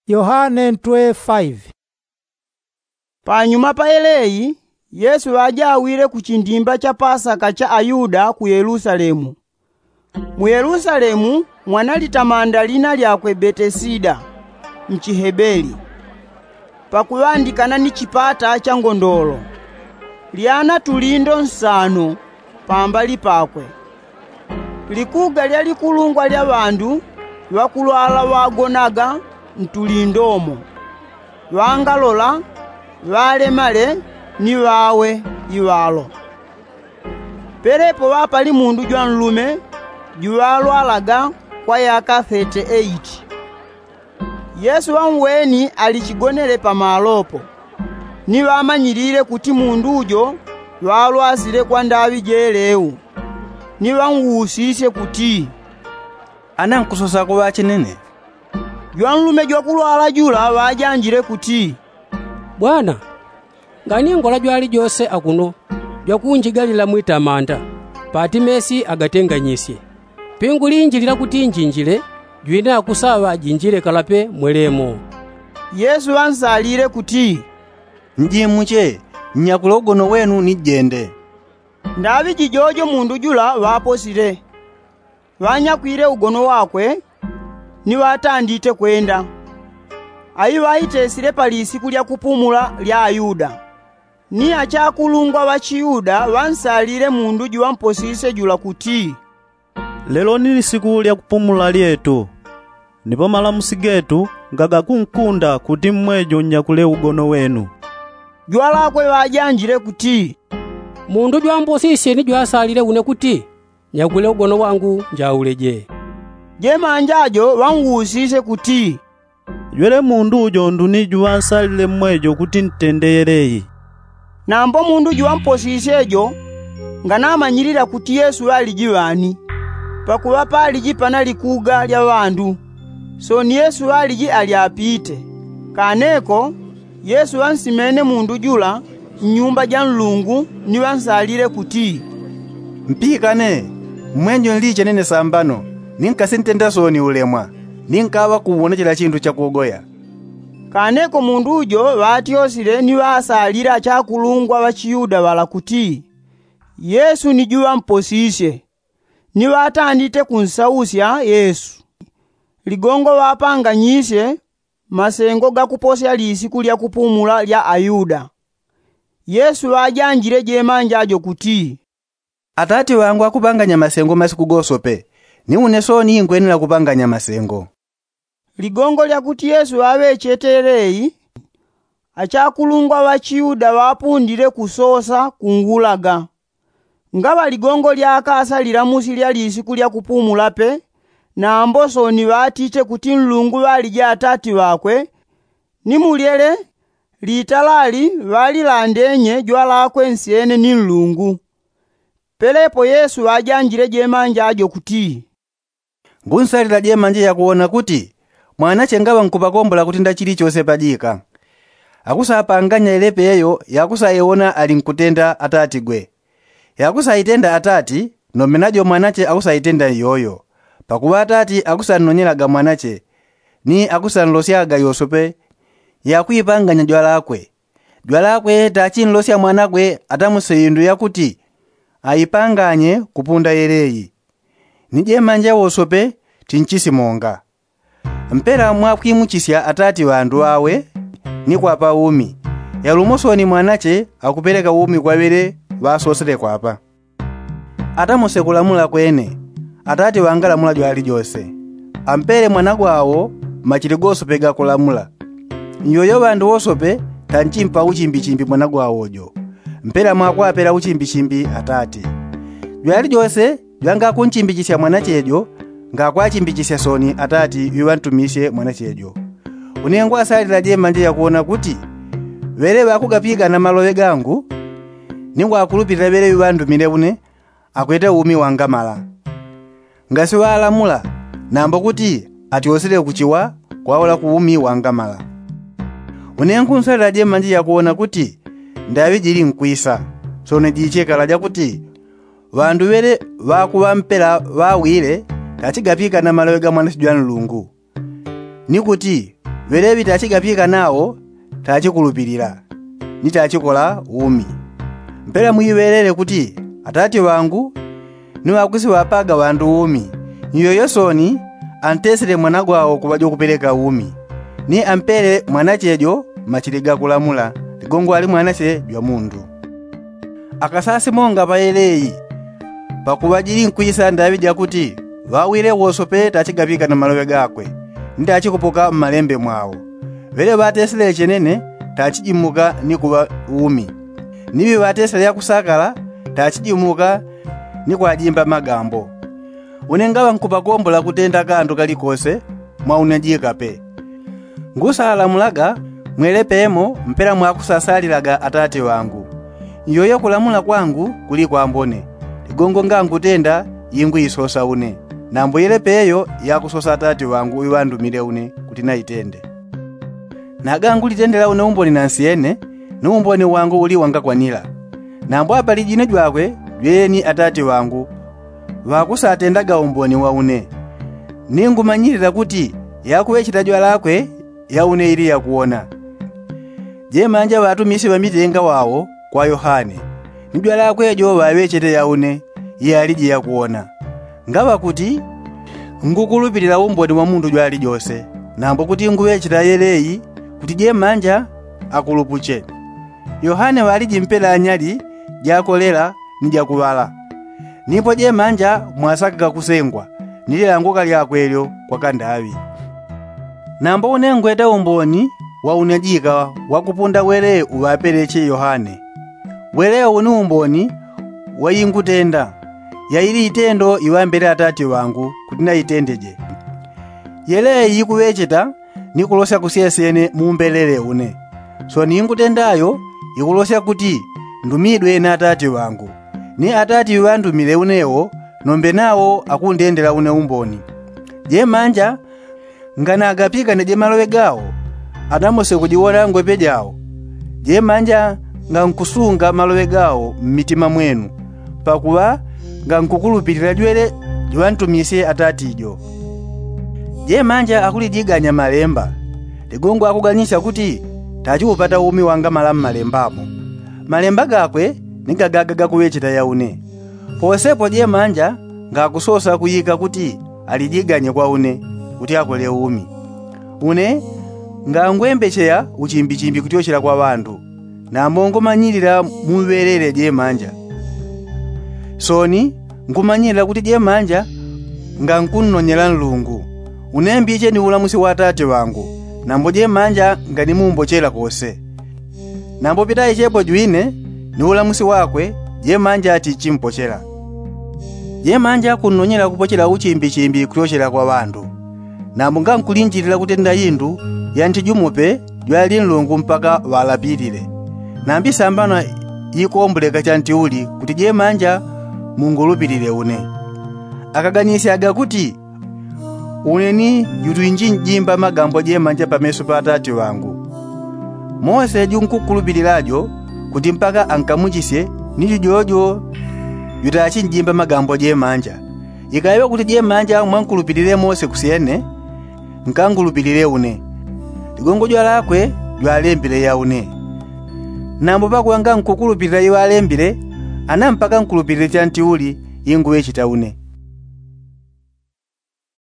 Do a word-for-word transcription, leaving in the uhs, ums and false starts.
Yohane ntwe faivi. Panyuma pa yeleyi, yesu ŵajawile ku chindimba cha pasaka cha ayuda ku yelusalemu. Mu yelusalemu mwanali tamanda lina lyakwe betesida, mchihebeli, pakuŵandikana ni chipata cha ngondolo. Lyana tulindo nsano pambali pakwe. Likuga lya likulungwa lya ŵandu ŵakulwala ŵagonaga ntulindomo, ŵangalola, ŵalemale, ni ŵawe iŵalo. Pelepo ŵapali mundu jwanlume juŵalwalaga kwa yaka thete eiti. Yesu ŵamweni ali chigonele pamalopo, ni ŵamanyilile kuti mundu jo ŵalwasile kwa ndaŵi jeleu. Ni ŵanwusisye kuti, ana nkusosako ŵachinene? Jwanlume jwakulwala jula ŵajanjile kuti, bwana, nganingwala jwalijose akuno jwakunjigalila mwitamanda, pati mesi agatenganyisye. Pingulinjilila kuti njinjile, jwine akusaŵa ajinjile kalape mwelemo. Yesu ŵansalile kuti, njimuche, nnyakule ugono wenu ni jende. Ndaŵi jijojo mundu jula ŵaposile, ŵanyakwile ugono wakwe, ni ŵatandite kwenda. Ayi ŵaitesile pa lisiku lya kupumula lya ayuda. Ni achakulungwa ŵa chiyuda ŵansalile mundu juŵamposisye jula kuti, lelo ni lisiku lya kupumula lyetu, nipo malamusi getu ngagakunkunda kuti mmwejo nnyakule ugono wenu. Jwalakwe ŵajanjile kuti, mundu jwamposisye ni jwasalile une kuti nyakwile ugono wangu njauleje. Jemanja jo ŵanwusisye kuti, jwele mundu ujo nduni juŵansalile mmwejo kuti ntende yeleyi? Nambo mundu juŵamposisye jo nganamanyilila kuti yesu ŵaliji ŵani, pakuŵa paliji pana likuga lya ŵandu. Sooni yesu ŵaliji ali apite. Kaneko yesu ŵansimene mundu jula nnyumba ja nlungu, ni ŵansalile kuti, mpikane, mmwenjo nliche nene sambano, ni nkasintenda sooni ulemwa, ni nkaŵa kuwonechela chindu chakugoya. Kaneko mundu jo ŵatyosile ni ŵasalile achakulungwa ŵa chiyuda ŵala kuti, yesu ni juŵamposisye. Ni ŵatandite kunsausya yesu. Ligongo ŵapanganyisye masengo gakuposya lisiku lya kupumula lya ayuda. Yesu ŵajanjile jemanja jo kuti, atati ŵangu akupanganya masengo masiku gosope, ni une sooni ingwenela kupanganya masengo. Ligongo lya kuti yesu ŵaŵechete yeleyi, achakulungwa ŵa chiyuda ŵapundile kusosa kungulaga. Ngaŵa ligongo lyakasa lilamusi lya lisiku lya kupumula pe, nambo sooni ŵatiche kuti nlungu ŵaliji atati ŵakwe, ni mulyele litalali ŵalilandenye jwalakwe nsyene ni nlungu. Pelepo yesu ŵajanjile jemanja jo kuti, ngunsalila jemanja yakuwona kuti mwanache ngaŵa nkupakombola kuti ndachili chose pajika. Akusapanganya ilepe yeyo yakusaiwona ali nkutenda atatigwe. Yakusaitenda atati, nombe najo mwanache akusaitenda iyoyo. Pakuŵa atati akusannonyelaga mwanache, ni akusanlosyaga yosope yakuipanganya jwalakwe. Jwalakwe tachinlosya mwanakwe atamuse indu yakuti aipanganye kupunda yeleyi. Ni jemanja wosope tinchisimonga. Mpela mwakwimuchisya atati ŵandu ŵawe, ni kwapa umi. Yalumo sooni mwanache akupeleka umi kwa ŵele ŵasosele kwapa. Atamuse kulamula kwene, atati ŵangalamula jwalijose. Ampele mwanagwawo machili gosope gakulamula. Nyoyo ŵandu wosope tanchimpa uchimbichimbi mwanagwawo jo. Mpela mwakwapela uchimbichimbi atati. Jwalijose jwangakunchimbichisya mwanache jo, ngakwachimbichisya sooni atati ŵiŵantumisye mwanache jo. Une ngwasalila jemanja yakuwona kuti ŵele ŵakugapigana maloŵe gangu, ni ngwakulupilila ŵele ŵiŵandumile une akwete umi wangamala. Ngasiŵalamula, nambo kuti atyosele kuchiwa kwaula ku umi wangamala. Une ngunsalila jemanja yakuwona kuti ndaŵi jili nkwisa, sooni jichekala jakuti ŵandu ŵele ŵakuŵa mpela ŵawile tachigapikana maloŵe ga mwanache jwa nlungu. Ni kuti Ŵeleŵi tachigapika nawo tachikulupilila ni tachikola umi. Mpela mwiŵelele kuti atati ŵangu ni ŵakusiŵapaga ŵandu umi. Nyoyo soni antesele mwana gwawo kuŵa jokupeleka umi, ni ampele mwanache jo machili gakulamula ligongo ali mwanache jwa mundu. Akasasi monga ŵayeleyi pakuŵa jili nkwisa ndaŵi jakuti ŵawile wosope tachigapika na maloŵe gakwe ni tachikupoka mmalembe mwawo. Ŵele ŵatesele chenene tachijimuka ni kuŵa umi, niŵi ŵatesele yakusakala tachijimuka ni kwajimba magambo. Une ngaŵa nkupakombola kutenda kandu kalikose mwa une jikape. Ngusalamulaga mwele pemo mpela mwakusasalilaga atati ŵangu. Nyoyo kulamula kwangu kuli kwambone. Ligongo ngangutenda yingwisosa une, nambo yele peyo yakusosa atati ŵangu iŵandumile une kuti naitende. Nagangulitendela une umboni nansi yene, ni umboni wangu uli wangakwanila. Nambo apalijine jwakwe jweyeni atati ŵangu ŵakusatendaga umboni wa une. Ningumanyilila kuti yakuŵecheta jwalakwe ya une ili yakuwona. Jemanja ŵatumisi ŵamitenga wawo kwa yohane, ni jwalakwe jo ŵaŵechete ya une iyaliji yakuwona. Ngaŵa kuti ngukulupilila umboni wa mundu jwalijose, nambo kuti nguŵecheta yeleyi kuti jemanja akulupuche. Yohane ŵaliji mpela anyali jakolela ni jakuŵala. Nipo jemanja mwasakaga kusengwa ni lilanguka lyakwe lyo kwa kandaŵi. Nambo une ngweta umboni wa une jika wakupunda wele uŵapeleche yohane. Wele une umboni wa ingutenda ya ili itendo iŵambele atati ŵangu kuti naitendeje. Yele ikuŵecheta ni kulosya kusyesyene mumbelele une. Soni ingutenda yo ikulosya kuti ndumidwe na atati ŵangu, ni atati ŵandumile unewo nombe nawo akundendela une umboni. Jemanja nganagapikane jemaloŵe gawo anamose kujiwona ngwepe jawo. Jemanja ngankusunga maloŵe gawo mmitima mwenu, pakuŵa ngankukulupilila jwele jwantumisye atati jo. Jemanja akulijiganya malemba. Ligongo akuganisya kuti tachiupata umi wangamala mmalembamo. Malemba gakwe ni gagaga gakuŵecheta ya une. Posepo jemanja ngakusosa kuyika kuti alijiganye kwa une kuti akole umi. Une ngangwembecheya uchimbichimbi kutyochela kwa ŵandu, nambo ngumanyilila muŵelele jemanja. Soni ngumanyilila kuti jemanja ngankunnonyela nlungu. Une mbiche ni ulamusi wa atati ŵangu, nambo jemanja nganimumbochela kose. Nambo pitaichepo jwine ni ulamusi wakwe jemanja atichimpochela. Jemanja kunnonyela kupochela uchimbichimbi kutyochela kwa ŵandu. Nambo ngankulinjilila kutenda indu ya nti jumo pe jwali nlungu mpaka ŵalapilile. Nambi sambano ikomboleka chantiuli kuti jemanja mungulupilile une. Akaganisyaga kuti une ni jutwinji njimba magambo jemanja pameso pa atati ŵangu. Mose junkukulupilila jo kuti mpaka ankamuchisye ni jujojo jutachi njimba magambo jemanja. Ikaŵa kuti jemanja mwankulupilile mose kusyene, nkangulupilile une. Ligongo jwalakwe jwalembile ya une. Nambo pakuŵa ngankukulupilila iŵalembile, ana mpaka nkulupilile chantiuli inguŵecheta une.